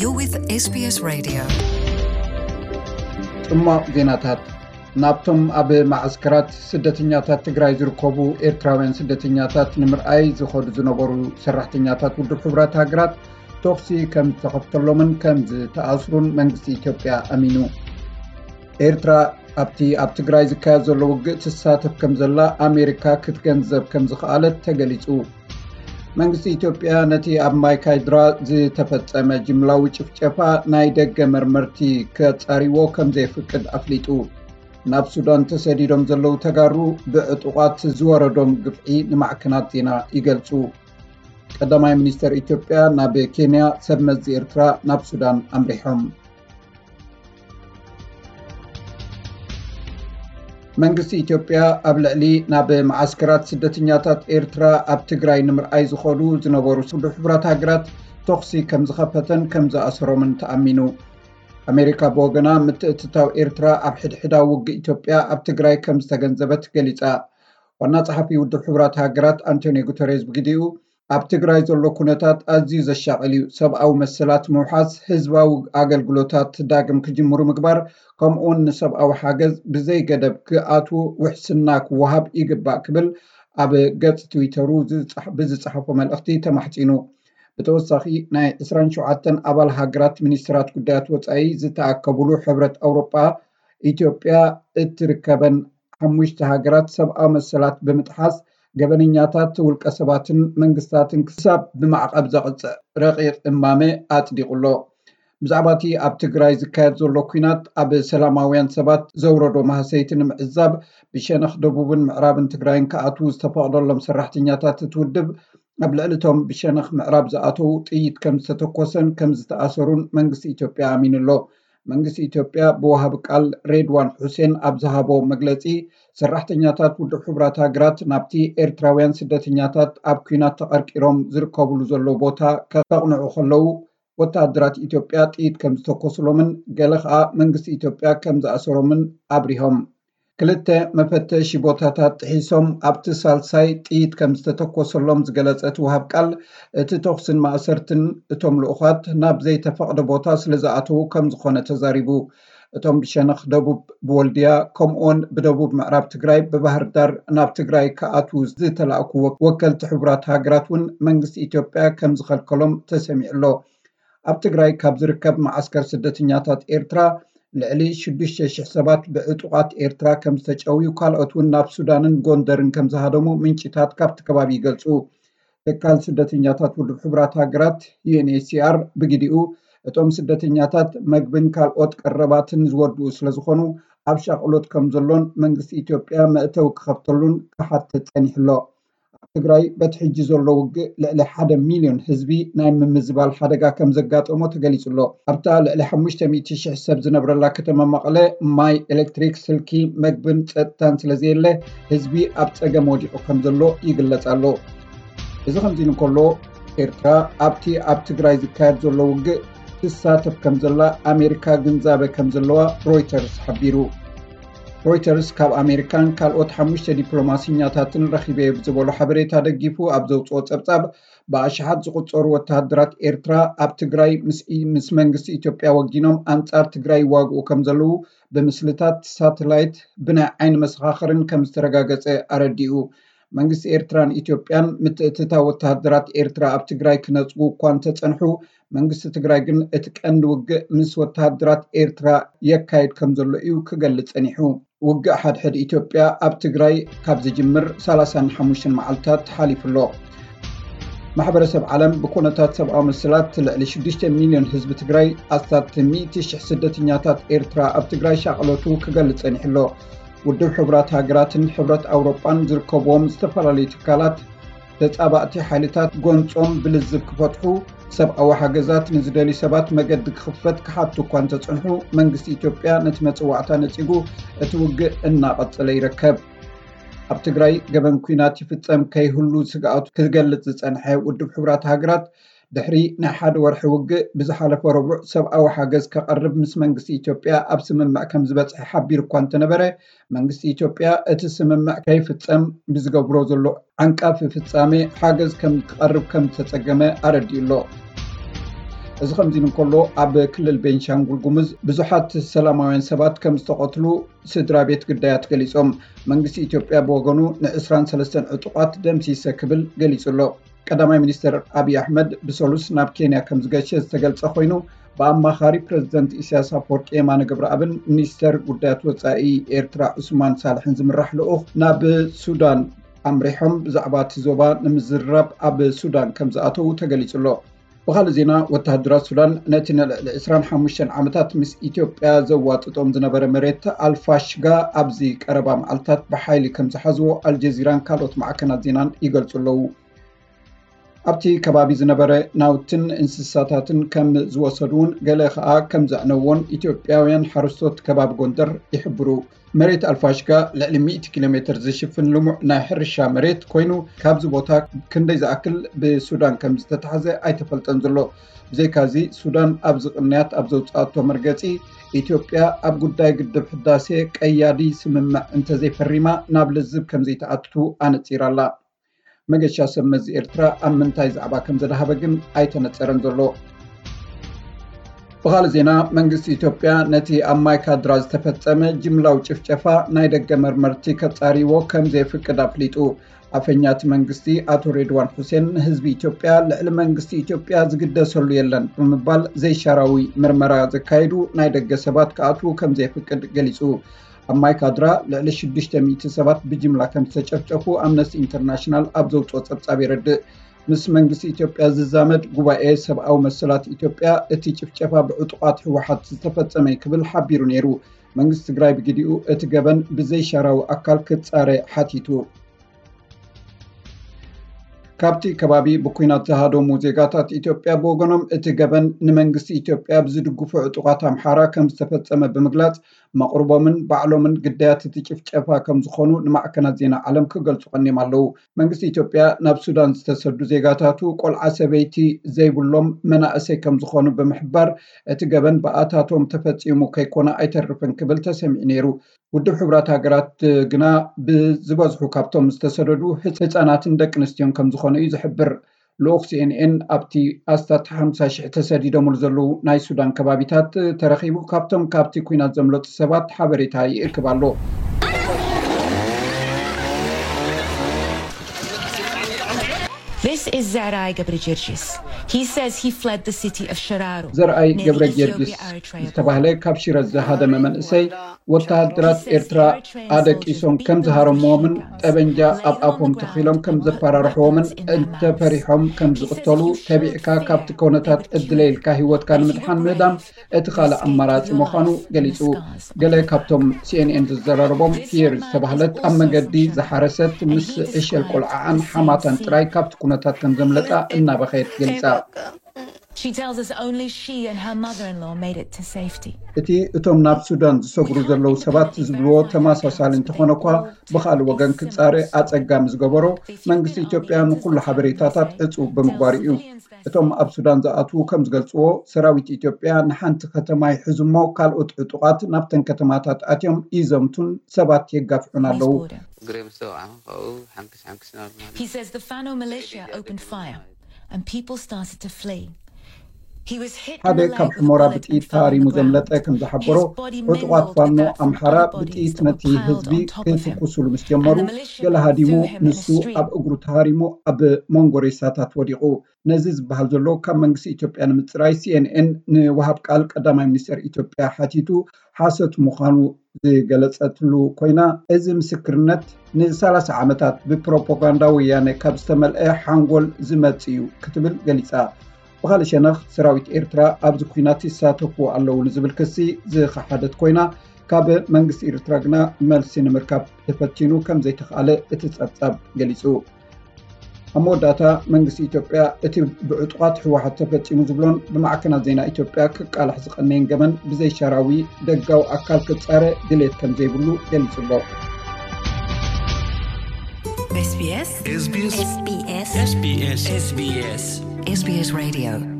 You're with S B S Radio. ጽማቕ ዜናታት። ናብቶም ኣብ ማዓስከራት ስደተኛታት ትግራይ ዝርከቡ ኤርትራውያን ስደተኛታት ንምርኣይ ዝኸዱ ዝነበሩ ሰራሕተኛታት ውድብ ሕቡራት ሃገራት ተኹሲ ከም ዝተኸፍተሎምን ከም ዝተኣስሩን መንግስቲ ኢትዮጵያ ኣሚኑ። ኤርትራ ኣብቲ ኣብ ትግራይ ዝካየድ ዘሎ ውግእ ትሳተፍ ከም ዘላ ኣሜሪካ ክትገንዘብ ከም ዝኸኣለት ተገሊጹ። መንግስቲ ኢትዮጵያ ነቲ ኣብ ማይካድራ ዝተፈጸመ ጅምላዊ ጭፍጨፋ ናይ ደገ መርመርቲ ከጻሪዎ ከም ዘየፍቅድ ኣፍሊጡ። ናብ ሱዳን ተሰዲዶም ዘለዉ ተጋሩ ብዕጡቓት ዝወረዶም ግፍዒ ንማዕከናት ዜና ይገልጹ። ቀዳማይ ሚኒስተር ኢትዮጵያ ናብ ኬንያ፣ ሰብ መዚ ኤርትራ ናብ ሱዳን ኣምሪሖም። መንግስቲ ኢትዮጵያ ኣብ ልዕሊ ናብ መዓስከራት ስደተኛታት ኤርትራ ኣብ ትግራይ ንምርኣይ ዝኸዱ ዝነበሩ ውድብ ሕቡራት ሃገራት ተኹሲ ከም ዝኸፈተን ከም ዝኣሰሮምን ተኣሚኑ። ኣሜሪካ ብወገና ምትእትታው ኤርትራ ኣብ ሕድሕዳዊ ውግእ ኢትዮጵያ ኣብ ትግራይ ከም ዝተገንዘበት ገሊጻ። ዋና ጸሓፊ ውድብ ሕቡራት ሃገራት ኣንቶኒዮ ጉተሬዝ ብግዲኡ፣ ኣብ ትግራይ ዘሎ ኩነታት ኣዝዩ ዘሻቕል እዩ። ሰብኣዊ መሰላት ምውሓስ፣ ህዝባዊ ኣገልግሎታት ዳግም ክጅምሩ ምግባር፣ ከምኡውን ንሰብኣዊ ሓገዝ ብዘይ ገደብ ክኣትዉ ውሕስና ክወሃብ ይግባእ ክብል ኣብ ገጽ ትዊተሩ ዝጸሕ- ብዝጸሓፎ መልእኽቲ ተማሕጺኑ። ብተወሳኺ ናይ ዕስራን ሸውዓተን ኣባል ሃገራት ሚኒስትራት ጉዳያት ወጻኢ ዝተኣከቡሉ ሕብረት ኣውሮጳ ኢትዮጵያ እትርከበን ሓሙሽተ ሃገራት ሰብኣዊ መሰላት ብምጥሓስ ገበነኛታት ውልቀ ሰባትን መንግስታትን ክሳብ ብማዕቐብ ዘቕጽዕ ረቂቕ እማመ ኣጽዲቑ ኣሎ። ብዛዕባ እቲ ኣብ ትግራይ ዝካየድ ዘሎ ኲናት ኣብ ሰላማውያን ሰባት ዘውረዶ ማህሰይቲ ንምዕዛብ ብሸነኽ ደቡብን ምዕራብን ትግራይን ክኣትዉ ዝተፈቕደሎም ሰራሕተኛታት እቲ ውድብ ኣብ ልዕሊ እቶም ብሸነኽ ምዕራብ ዝኣተዉ ጥይት ከም ዝተተኮሰን ከም ዝተኣሰሩን መንግስቲ ኢትዮጵያ ኣሚኑ ኣሎ። መንግስቲ ኢትዮጵያ ብወሃቢ ቃል ሬድዋን ሑሴን ኣብ ዝሃቦ መግለጺ፣ ሰራሕተኛታት ውድብ ሕቡራት ሃገራት ናብቲ ኤርትራውያን ስደተኛታት ኣብ ኲናት ተቐርቂሮም ዝርከብሉ ዘለዉ ቦታ ከቕንዑ ከለዉ ወተሃደራት ኢትዮጵያ ጥይት ከም ዝተኮስሎምን ገለ ኸኣ መንግስቲ ኢትዮጵያ ከም ዝኣሰሮምን ኣብሪሆም። ክልተ መፈተሺ ቦታታት ጥሒሶም ኣብቲ ሳልሳይ ጥይት ከም ዝተተኮሰሎም ዝገለጸ እቲ ወሃብ ቃል፣ እቲ ተኹስን ማእሰርትን እቶም ልኡኻት ናብ ዘይተፈቕደ ቦታ ስለ ዝኣተዉ ከም ዝኾነ ተዛሪቡ። እቶም ብሸነኽ ደቡብ ብወልድያ ከምኡውን ብደቡብ ምዕራብ ትግራይ ብባህር ዳር ናብ ትግራይ ክኣትዉ ዝተላእኩ ወ- ወከልቲ ሕቡራት ሃገራት እውን መንግስቲ ኢትዮጵያ ከም ዝኸልከሎም ተሰሚዑ ኣሎ። ኣብ ትግራይ ካብ ዝርከብ መዓስከር ስደተኛታት ኤርትራ ልዕሊ ሽዱሽተ ሽሕ ሰባት ብዕጡቓት ኤርትራ ከም ዝተጨውዩ፣ ካልኦት እውን ናብ ሱዳንን ጎንደርን ከም ዝሃደሙ ምንጭታት ካብቲ ከባቢ ይገልጹ። ትካል ስደተኛታት ውድብ ሕቡራት ሃገራት ዩ ኤን ኤች ሲ ኣር ብግዲኡ፣ እቶም ስደተኛታት መግብን ካልኦት ቀረባትን ዝወድኡ ስለ ዝኾኑ ኣብ ሻቕሎት ከም ዘሎን መንግስቲ ኢትዮጵያ መእተዊ ክኸፍተሉን ክሓትት ጸኒሑ ኣሎ። ኣብ ትግራይ በቲ ሕጂ ዘሎ ውግእ ልዕሊ ሓደ ሚልዮን ህዝቢ ናይ ምምዝባል ሓደጋ ከም ዘጋጠሞ ተገሊጹ ኣሎ። ኣብታ ልዕሊ ሓሙሽተ ሚእቲ ሽሕ ሰብ ዝነብረላ ከተማ መቐለ ማይ፣ ኤሌክትሪክ፣ ስልኪ፣ መግብን ጸጥታን ስለ ዘየለ ህዝቢ ኣብ ጸገም ወዲቑ ከም ዘሎ ይግለጽ ኣሎ። እዚ ከምዚ ኢሉ እንከሎ፣ ኤርትራ ኣብቲ ኣብ ትግራይ ዝካየድ ዘሎ ውግእ ትሳተፍ ከም ዘላ ኣሜሪካ ግንዛበ ከም ዘለዋ ሮይተርስ ሓቢሩ። ሮይተርስ ካብ ኣሜሪካን ካልኦት ሓሙሽተ ዲፕሎማሲኛታትን ረኺበ ብዝበሎ ሓበሬታ ደጊፉ ኣብ ዘውፅኦ ጸብጻብ፣ ብኣሽሓት ዝቑጸሩ ወተሃደራት ኤርትራ ኣብ ትግራይ ምስ ኢ- ምስ መንግስቲ ኢትዮጵያ ወጊኖም ኣንጻር ትግራይ ይዋግኡ ከም ዘለዉ ብምስልታት ሳተላይት ብናይ ዓይኒ መሰኻኽርን ከም ዝተረጋገጸ ኣረዲኡ። መንግስቲ ኤርትራን ኢትዮጵያን ምትእትታው ወተሃደራት ኤርትራ ኣብ ትግራይ ክነጽጉ እኳ እንተጸንሑ፣ መንግስቲ ትግራይ ግን እቲ ቀንዲ ውግእ ምስ ወተሃደራት ኤርትራ የካይድ ከም ዘሎ እዩ ክገልጽ ጸኒሑ። ውግእ ሓድሕድ ኢትዮጵያ ኣብ ትግራይ ካብ ዝጅምር ሰላሳን ሓሙሽተን መዓልታት ሓሊፉ ኣሎ። ማሕበረሰብ ዓለም ብኩነታት ሰብኣዊ መሰላት ልዕሊ ሽዱሽተ ሚልዮን ህዝቢ ትግራይ፣ ኣስታት ሚእቲ ሽሕ ስደተኛታት ኤርትራ ኣብ ትግራይ ሻቕሎቱ ክገልጽ ጸኒሑ ኣሎ። ውድብ ሕቡራት ሃገራትን ሕብረት ኣውሮጳን ዝርከብዎም ዝተፈላለዩ ትካላት ተጻባእቲ ሓይልታት ጎንጾም ብልዝብ ክፈትሑ፣ ሰብኣዊ ሓገዛት ንዝደልዩ ሰባት መገዲ ክኽፈት ክሓቱ እኳ እንተጸንሑ፣ መንግስቲ ኢትዮጵያ ነቲ መጽዋዕታ ነጺጉ እቲ ውግእ እናቐጸለ ይርከብ። ኣብ ትግራይ ገበን ኲናት ይፍጸም ከይህሉ ስግኣቱ ክገልጽ ዝጸንሐ ውድብ ሕቡራት ሃገራት፣ ድሕሪ ናይ ሓደ ወርሒ ውግእ ብዝሓለፈ ረቡዕ ሰብኣዊ ሓገዝ ከቐርብ ምስ መንግስቲ ኢትዮጵያ ኣብ ስምምዕ ከም ዝበጽሐ ሓቢሩ እኳ እንተነበረ፣ መንግስቲ ኢትዮጵያ እቲ ስምምዕ ከይፍጸም ብዝገብሮ ዘሎ ዓንቃፊ ፍጻሜ ሓገዝ ከም ክቐርብ ከም ዝተጸገመ ኣረዲኡ ኣሎ። እዚ ከምዚ እንከሎ፣ ኣብ ክልል ቤንሻንጉል ጉሙዝ ብዙሓት ሰላማውያን ሰባት ከም ዝተቐትሉ ስድራ ቤት ግዳያት ገሊጾም። መንግስቲ ኢትዮጵያ ብወገኑ ን23 ዕጡቓት ደምሲሰ ክብል ገሊጹ ኣሎ። ቀዳማይ ሚኒስተር ኣብይ ኣሕመድ ብሰሉስ ናብ ኬንያ ከም ዝገሸ ዝተገልጸ ኮይኑ፣ ብኣማኻሪ ፕረዚደንት ኢሳያስ ኣፈወርቂ የማነ ገብረኣብን ሚኒስተር ጉዳያት ወጻኢ ኤርትራ ዑስማን ሳልሕን ዝምራሕ ልኡኽ ናብ ሱዳን ኣምሪሖም ብዛዕባ እቲ ዞባ ንምዝርራብ ኣብ ሱዳን ከም ዝኣተዉ ተገሊጹ ኣሎ። ብኻልእ ዜና፣ ወተሃደራት ሱዳን ነቲ ንልዕሊ ዕስራን ሓሙሽተን ዓመታት ምስ ኢትዮጵያ ዘዋጥጦም ዝነበረ መሬት ኣልፋሽጋ ኣብዚ ቀረባ መዓልታት ብሓይሊ ከም ዝሓዝዎ ኣልጀዚራን ካልኦት ማዕከናት ዜናን ይገልጹ ኣለዉ። ኣብቲ ከባቢ ዝነበረ ናውትን እንስሳታትን ከም ዝወሰዱ እውን፣ ገለ ከኣ ከም ዘዕነዎን ኢትዮጵያውያን ሓረስቶት ከባቢ ጎንደር ይሕብሩ። መሬት ኣልፋሽጋ ልዕሊ ሚእቲ ኪሎ ሜትር ዝሽፍን ልሙዕ ናይ ሕርሻ መሬት ኮይኑ፣ ካብዚ ቦታ ክንደይ ዝኣክል ብሱዳን ከም ዝተታሕዘ ኣይተፈልጠን ዘሎ። ብዘይካዚ፣ ሱዳን ኣብዚ ቅንያት ኣብ ዘውፅኣቶ መርገፂ፣ ኢትዮጵያ ኣብ ጉዳይ ግድብ ሕዳሴ ቀያዲ ስምምዕ እንተዘይፈሪማ ናብ ልዝብ ከም ዘይትኣቱ ኣነፂራ ኣላ። መገሻ ሰብ መዚ ኤርትራ ኣብ ምንታይ ዛዕባ ከም ዘድሃበ ግን ኣይተነጸረን ዘሎ። ብኻልእ ዜና፣ መንግስቲ ኢትዮጵያ ነቲ ኣብ ማይ ካድራ ዝተፈጸመ ጅምላዊ ጭፍጨፋ ናይ ደገ መርመርቲ ከጻርይዎ ከም ዘየፍቅድ ኣፍሊጡ። ኣፈኛ እቲ መንግስቲ ኣቶ ሬድዋን ሑሴን ንህዝቢ ኢትዮጵያ ልዕሊ መንግስቲ ኢትዮጵያ ዝግደሰሉ የለን ብምባል ዘይሻራዊ ምርመራ ዘካየዱ ናይ ደገ ሰባት ክኣትዉ ከም ዘየፍቅድ ገሊጹ። ኣብ ማይ ካድራ ልዕሊ ሽዱሽተ ሚእቲ ሰባት ብጅምላ ከም ዝተጨፍጨፉ ኣምነስቲ ኢንተርናሽናል ኣብ ዘውፅኦ ጸብጻብ የረድእ። ምስ መንግስቲ ኢትዮጵያ ዝዛመድ ጉባኤ ሰብኣዊ መሰላት ኢትዮጵያ እቲ ጭፍጨፋ ብዕጡቓት ህወሓት ዝተፈጸመ እዩ ክብል ሓቢሩ ነይሩ። መንግስቲ ትግራይ ብግዲኡ እቲ ገበን ብዘይሻራዊ ኣካል ክጻረ ሓቲቱ። ካብቲ ከባቢ ብኲናት ዝሃደሙ ዜጋታት ኢትዮጵያ ብወገኖም፣ እቲ ገበን ንመንግስቲ ኢትዮጵያ ብዝድግፉ ዕጡቓት ኣምሓራ ከም ዝተፈጸመ ብምግላጽ፣ መቕርቦምን ባዕሎምን ግዳያት እቲ ጭፍጨፋ ከም ዝኾኑ ንማዕከናት ዜና ዓለም ክገልጹ ቀኒዮም ኣለዉ። መንግስቲ ኢትዮጵያ ናብ ሱዳን ዝተሰዱ ዜጋታቱ ቆልዓ ሰበይቲ ዘይብሎም መናእሰይ ከም ዝኾኑ ብምሕባር፣ እቲ ገበን ብኣታቶም ተፈጺሙ ከይኮነ ኣይተርፍን ክብል ተሰሚዑ ነይሩ። ውድብ ሕቡራት ሃገራት ግና ብዝበዝሑ ካብቶም ዝተሰደዱ ህጻናትን ደቂ ኣንስትዮን ከም ዝኾኑ እዩ ዝሕብር። ልኡኽ ሲኤንኤን ኣብቲ ኣስታት ሓምሳ ሽሕ ተሰዲዶምሉ ዘለዉ ናይ ሱዳን ከባቢታት ተረኺቡ ካብቶም ካብቲ ኲናት ዘምለጡ ሰባት ሓበሬታ ይእክብ ኣሎ። This is Zerai Gebregergis. He says he fled the city of Shiraro. ዘርኣይ near ገብረ the Ethiopia ጊዮርጊስ Eritrea ዝተባህለ ካብ ሽረ ዝሃደመ መንእሰይ፣ ወተሃደራት ኤርትራ ኣደቂሶም ከም ዝሃረምዎምን ጠበንጃ ኣብ ኣፎም ተኺሎም ከም ዘፈራርሕዎምን እንተፈሪሖም ከም ዝቕተሉ ተቢዕካ ካብቲ ኩነታት ዕድለ ኢልካ ህይወትካ ንምድሓን ምህዳም እቲ ካልእ ኣማራጺ ምዃኑ ገሊጹ። ገለ ካብቶም ሲኤንኤን ዘዘራረቦም፣ ፒየር ዝተባህለት ኣብ መገዲ ዝሓረሰት ምስ ዕሸል ቆልዓኣን ሓማታን ጥራይ ካብቲ ኩነታት ከም ዘምለጣ እናበኸየት ገሊጻ። She tells us only she and her mother-in-law made it to safety. እቲ እቶም ናብ ሱዳን ዝሰግሩ ዘለዉ ሰባት ዝብልዎ ተመሳሳሊ እንተኾነ እኳ፣ ብኻልእ ወገን ክጻረ ኣጸጋሚ ዝገበሮ መንግስቲ ኢትዮጵያ ንኹሉ ሓበሬታታት ዕጹው ብምግባሩ እዩ። እቶም ኣብ ሱዳን ዝኣትዉ ከም ዝገልጽዎ፣ ሰራዊት ኢትዮጵያ ንሓንቲ ከተማ ይሕዙ እሞ፣ ካልኦት ዕጡቓት ናብተን ከተማታት ኣትዮም ይዘምቱን ሰባት የጋፍዑን ኣለዉ። Border. እግረይ ምስ ተወቕዐ ካብኡ ሓንክስ ሓንክስ እናበሉ ማለት He says the Fano militia opened fire and people started to flee. He was hit in ሓደ the leg ካብ with a ሑመራ bullet and ብጥይት fell on the ተሃሪሙ ዘምለጠ ground. ከም ዝሓበሮ፣ His body ዕጡቓት mingled ፋኖ with that from ኣምሓራ other bodies ብጥይት that were ነቲ piled ህዝቢ on top of him. ክትኩሱሉ ምስ ጀመሩ፣ And the militia ገለ got ሃዲሙ through him in a ንሱ street. ኣብ እግሩ ተሃሪሙ ኣብ መንጎ ሬሳታት ወዲቑ። ነዚ ዝበሃል ዘሎ ካብ መንግስቲ ኢትዮጵያ ንምጽራይ ሲኤንኤን ንወሃብ ቃል ቀዳማይ ሚኒስተር ኢትዮጵያ ሓቲቱ ሓሶት ምዃኑ ዝገለጸትሉ ኮይና፣ እዚ ምስክርነት ንሰላሳ ዓመታት ብፕሮፓጋንዳ ወያነ ካብ ዝተመልአ ሓንጎል ዝመጽእ እዩ ክትብል ገሊጻ። ብኻልእ ሸነኽ፣ ሰራዊት ኤርትራ ኣብዚ ኲናት ይሳተፉ ኣለዉ ንዝብል ክሲ ዝኸሓደት ኮይና፣ ካብ መንግስቲ ኤርትራ ግና መልሲ ንምርካብ ተፈቲኑ ከም ዘይተኽኣለ እቲ ጸብጻብ ገሊጹ። ኣብ መወዳእታ፣ መንግስቲ ኢትዮጵያ እቲ ብዕጡቓት ህወሓት ተፈጺሙ ዝብሎን ብማዕከናት ዜና ኢትዮጵያ ክቃላሕ ዝቐነየን ገበን ብዘይሻራዊ ደጋዊ ኣካል ክጻረ ድሌት ከም ዘይብሉ ገሊጹ ኣሎ። SBS SBS SBS SBS SBS Radio